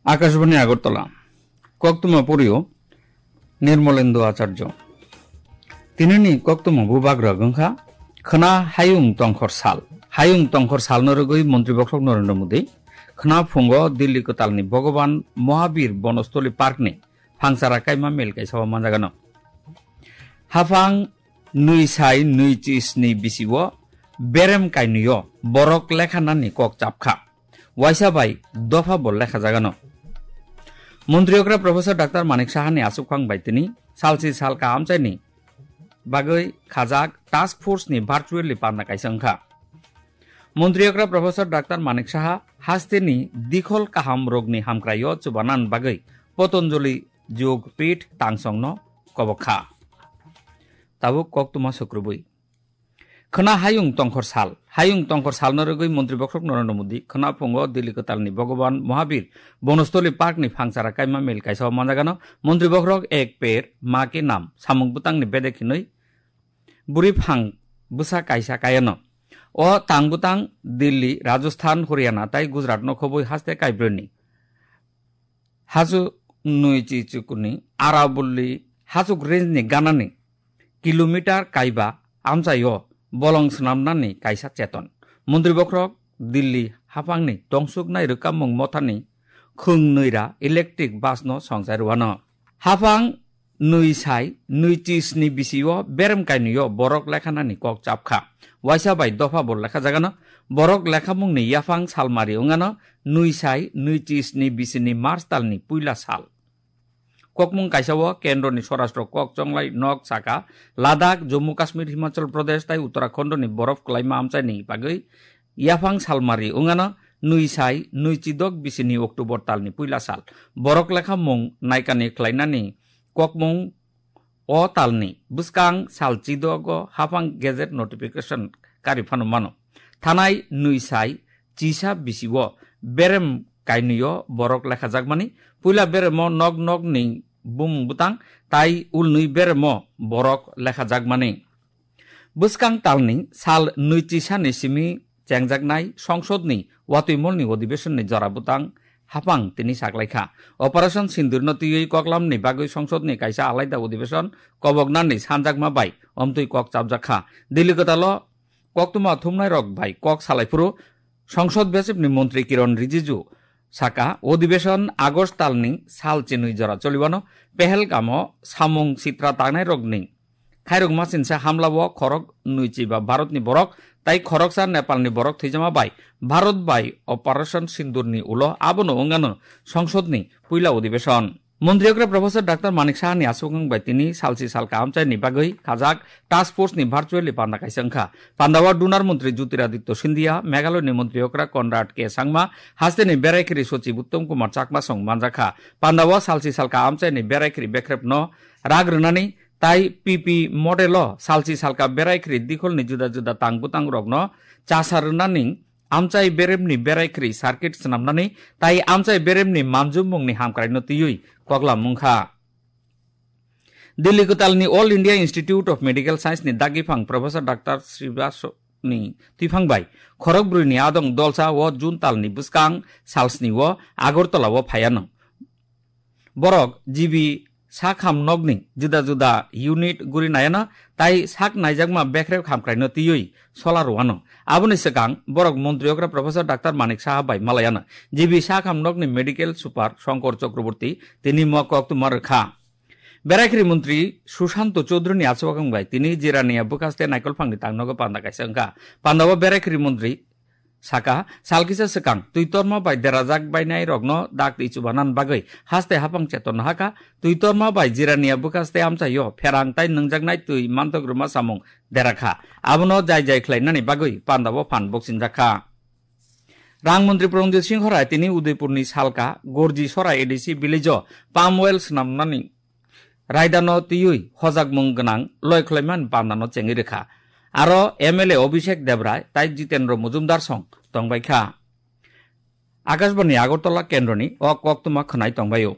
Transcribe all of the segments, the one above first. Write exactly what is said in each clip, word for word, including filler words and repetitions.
Akashbani Agartala. Koktwma porio Nirmolendo Acharjo. Tinini koktwma bubagra wngkha khwna hayung tongkhor sal. Hayung tongkhor salno rwgwi Montri Bokhorok Narendra Modi khwna phungo Delhi kwtalni Bhagwan Mahabir Bonostoli Parkni phangsara kaima mel kaisa o manjagano. Haphang nwi sai nwi chi sni bisio berem kainwio borok lekha nani kok chapkha. Waisa bai dopha bo lekha jagano. Montri okra Professor Doctor Manik Sahani aswkphang bai tini salsi salka amchaini bagwi khajak task force ni virtually panda kaisa wngkha. Montri okra Professor Doctor Manik Saha hasteni dikhol kaham rokni hamkraio chubanan bagwi Potonjoli Jog Pith tangsongno kobok kha. Tabuk koktwma sukrubwi. Khwna hayung tongkhor sal. Hayung tongkhor salno rwgwi Montri Bokhorok Narendra Modi khwna phungo Delhi kwtalni Bhagwan Mahabir Bonostoli Parkni phangsara kaima mel kaisa o manjagano. Montri Bokhorok Ek Ped Maa Ke Naam samung bwtangni bedek hinwi bwrwi phang bwsa kaisa kayano. O tang bwtang Delhi, Rajasthan, Haryana tai Gujaratno khobwi haste kaibrwini. Hachu nwi chi chukuni Aravalli hachuk range ni ganani kilometer kaiba amchaio bolong swnamnani kaisa cheton. Montri Bokhorok Delhi haphangni tongsuknai rwkammung mothani khwng nwi ra electric bus no songchai rwano. Haphang nwi sai nwi chi sni bisio berem kainwio borok lekhanani kok chapkha. Waisa bai dopha bo lekha jagano. Borok lekhamungni yaphang salmari wngano nwi sai nwi chi sni bisini March talni puila sal. Kokmung kaisa o kendroni swarashtra kok chonglai nok saka Ladakh, Jammu Kashmir, Himachal Pradesh tai Uttarakhandni borof kwlaima amchaini bagwi yaphang salmari wngano nwi sai nwi chi dok bisini October talni puila sal. Borok lekhamung naikani khlainani kokmung o talni bwskang sal chidogo haphang gazette notification kari phano mano. Thanai nwi sai chisa bisio berem kainwio borok lekhajakmani, puila beremo nok nokni bumung bwtang tai ulnwi beremo borok lekhajakmani. Bwskang talni sal nwi chisani simi chengjaknai songsodni watwi molni odibesonni jora bwtang haphang tini saklaikha. Operation Sindurno twiwi koklamni bagwi songsodni kaisa alaida odibesonni koboknani sanjakma bai omtwi kok chapjakkha. Delhi kwtalo koktwma thumnairok bai kok salaiphuru songsod bechepni montri Kiron Rijiju saka, odibesonni August talni sal chinwi jora choliwano Pehelgamo samung sitra tangnairokni khairokma chinsa hamlao khorok nwi chiba Bharatni borok tai khoroksa Nepalni borok thwijama bai Bharat bai Operation Sindurni ulo abono wngano songsodni puila odibesonni. Montri okra Professor Doctor Manik Sahani aswkang bai tini salsi salka amchaini bagwi khajak task force ni virtually panda kaisa wngkha. Pandao Dunar Montri Jyotiraditya Scindia, Meghalaya ni Montri okra Conrad K Sangma, hasteni beraikhiri Sochib Uttom Kumar Chakma song manjakha. Pandao salsi salka amchaini beraikhiri bekrepno rak rwnani tai P P model o salsi salka beraikhiri dikholni juda juda tang bwtang rokno chasa rwnani amchai beremni beraikhiri circuit swnamnani tai amchai beremni manjumungni hamkraino twiwi koklam wngkha. Delhi kwtalni All India Institute of Medical Science ni dagiphang Professor Doctor Srivastava ni twiphang bai khorok brwi ni adong dolsa o June talni bwskang salsni o Agartala o phaiano. Borok G B sak ham nokni juda juda unit guri naiano tai sak naijakma bekrep hamkraino twiwi sola rwano. Aboni swkang borok montri okra Professor Doctor Manik Saha bai malayano G B sak ham nokni medical super Shankar Chakraborty tini mo koktwma rwkha. Beraikhiri montri Sushanto Chaudhary ni achukang bai tini Jirania bwkhaste naikolphangni tangnogo panda kaisa wngkha. Pandao beraikhiri montri saka, sal kisa swkang twi torma bai derajak bainai rokno dak twi chubanan bagwi haste haphang cheton hakha. Twi torma bai Jirania bwkhaste amchaio pherang tai nwngjaknai twi mantok rwma samung derakha. Abono jai jai khlainani bagwi pandao phan boksinjakha. Rang montri Pranjit Singh Rai tini Udaipurni salka Gorji Sora A D C village o palm oil swnamnani raidano twiwi hojakmung gwnang loi khlaimani pandano chengwi rwkha. Aro M L A Abhishek Debrai tai Jitendra Majumdar song tongbaikha. Akashbani Agartala kendroni o koktwma khwnai tongbaio.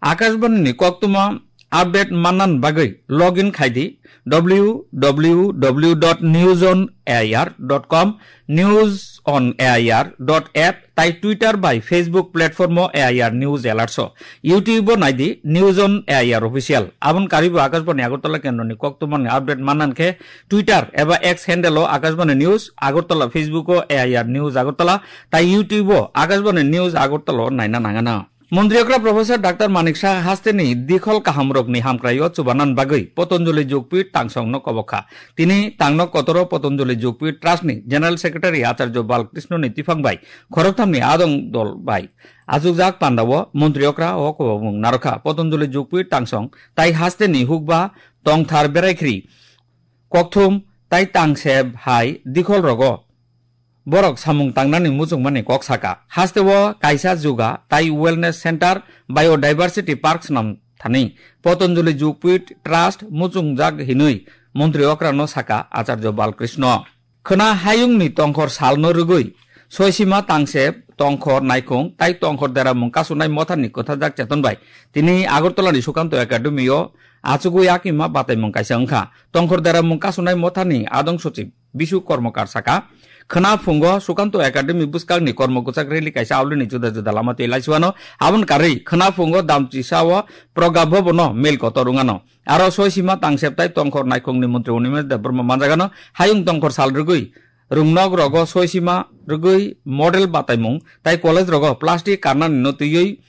Akashbani ni koktwma update mannan bagwi login khai di w w w dot news on air dot com, news on air dot app, tai Twitter bai Facebook platform o A I R News Alerts o. YouTube o nai di News on A I R Official. Aboni karwi bo Akashbani Agartala kendroni koktwmani update mannan khe Twitter eba X handle o Akashbani News Agartala, Facebook o A I R News Agartala, tai YouTube o Akashbani News Agartala o naina nangana. Montri okra Professor Doctor Manik Saha hasteni dikhol kahamrokni hamkraio chubanan bagwi Patanjali Jogpith tangsongno kobokha. Tini tangno kotoro Patanjali Jogpith Trust ni General Secretary Acharya Balkrishna ni tiphang bai khoroktham ni adong dol bai achukjak pandao montri okra o kobokmung narokha. Patanjali Jogpith tangsong tai hasteni hukba tongthar beraikhri kokthum tai tangseb hai dikhol rogo borok samung tangnani muchungmani kok saka. Hasteo kaisa juga tai wellness center, biodiversity park swnam thani Patanjali Jogpith Trust muchungjak hinwi montri okrano saka Acharya Balkrishna. Khwna hayungni tongkhor salno rwgwi soisima tangseb tongkhor naikhung tai tongkhor deramung kasunai mothani kwthajak cheton bai tini Agartala ni Sukanto Academy o achugwi yakima bataimung kaisa wngkha. Tongkhor deramung kasunai mothani adong sochib Bisu Kormokar saka, khwna phungo Sukanto Academy bwskangni kormo kwchak rally kaisa aulini juda juda lama twi laisuano. Aboni karwi khwna phungo Damchisa o Pragya Bhavan o mel kotor wngano. Aro soisima tangseb tai tongkhor naikhungni montri Animesh Debbarma manjagano hayung tongkhor sal rwgwi rwngnok rogo soisima rwgwi model bataimung tai college rogo plastic karnani no twiwi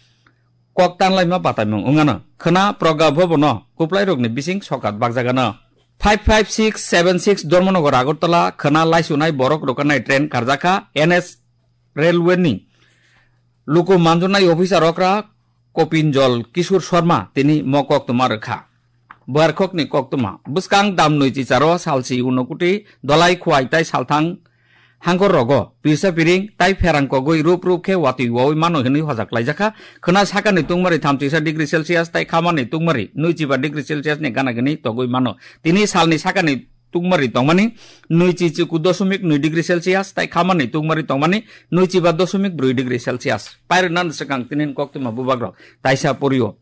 kok tanlaima bataimung wngano. Khwna Pragya Bhavan o kwplairokni bising sokat bakjagano. Five five six seven six Dharmanagar Agartala khwna laisunai borok rokanai train karjakha N S Railway ni luku manjunai officer okra Kopinjol Kishore Sharma tini mo koktwma rwkha. Buarkhokni koktwma bwskang damnwi chicharo salsi unokuti dolai khuai tai salthang hangkor rogo pirsa piring tai pherang kogwi rup rup khe watwi wawi mano hinwi hojak laijakha. Khwna sakani tungmari thamchisa degree Celsius tai khamani tungmari nwichiba degree Celsius ni gana gini togwi mano. Tini salni sakani tungmari tongmani nwichi chiku dosomik nwi degree Celsius tai khamani tungmari tongmani nwichiba dosomik brwi degree Celsius. Pairwknani swkang tinin koktwma bubagrok taisa porio.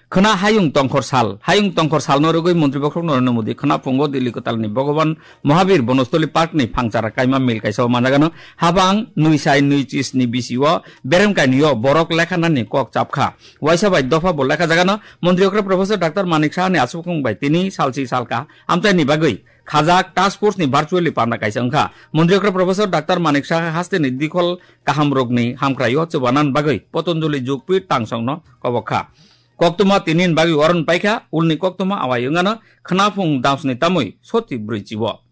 Khwna hayung tongkhor sal. Hayung tongkhor salno rwgwi Montri Bokhorok Narendra Modi khwna phungo Delhi kwtalni Bhagwan Mahabir Bonostoli Park ni phangchara kaima mil kaisa o manjagano. Habang nwi sai nwi chisni bisi o berem kainwi o borok lekha nani kok chapkha. Waisa bai dopha bo lekha jagano. Montri okra Professor Doctor Manik Saha ni aswkung bai tini salsi salka amchaini bagwi khajak task force ni virtually panda kaisa wngkha. Montri okra Professor Doctor Manik Saha hasteni dikhol kahamrokni hamkraio chubanan bagwi Patanjali Jogpith tangsongno kobokha. Koktwma tinin bagwi oron paikha, ulni koktwma awai wngano khwnaphung damsni tamwi soti brwi chibo.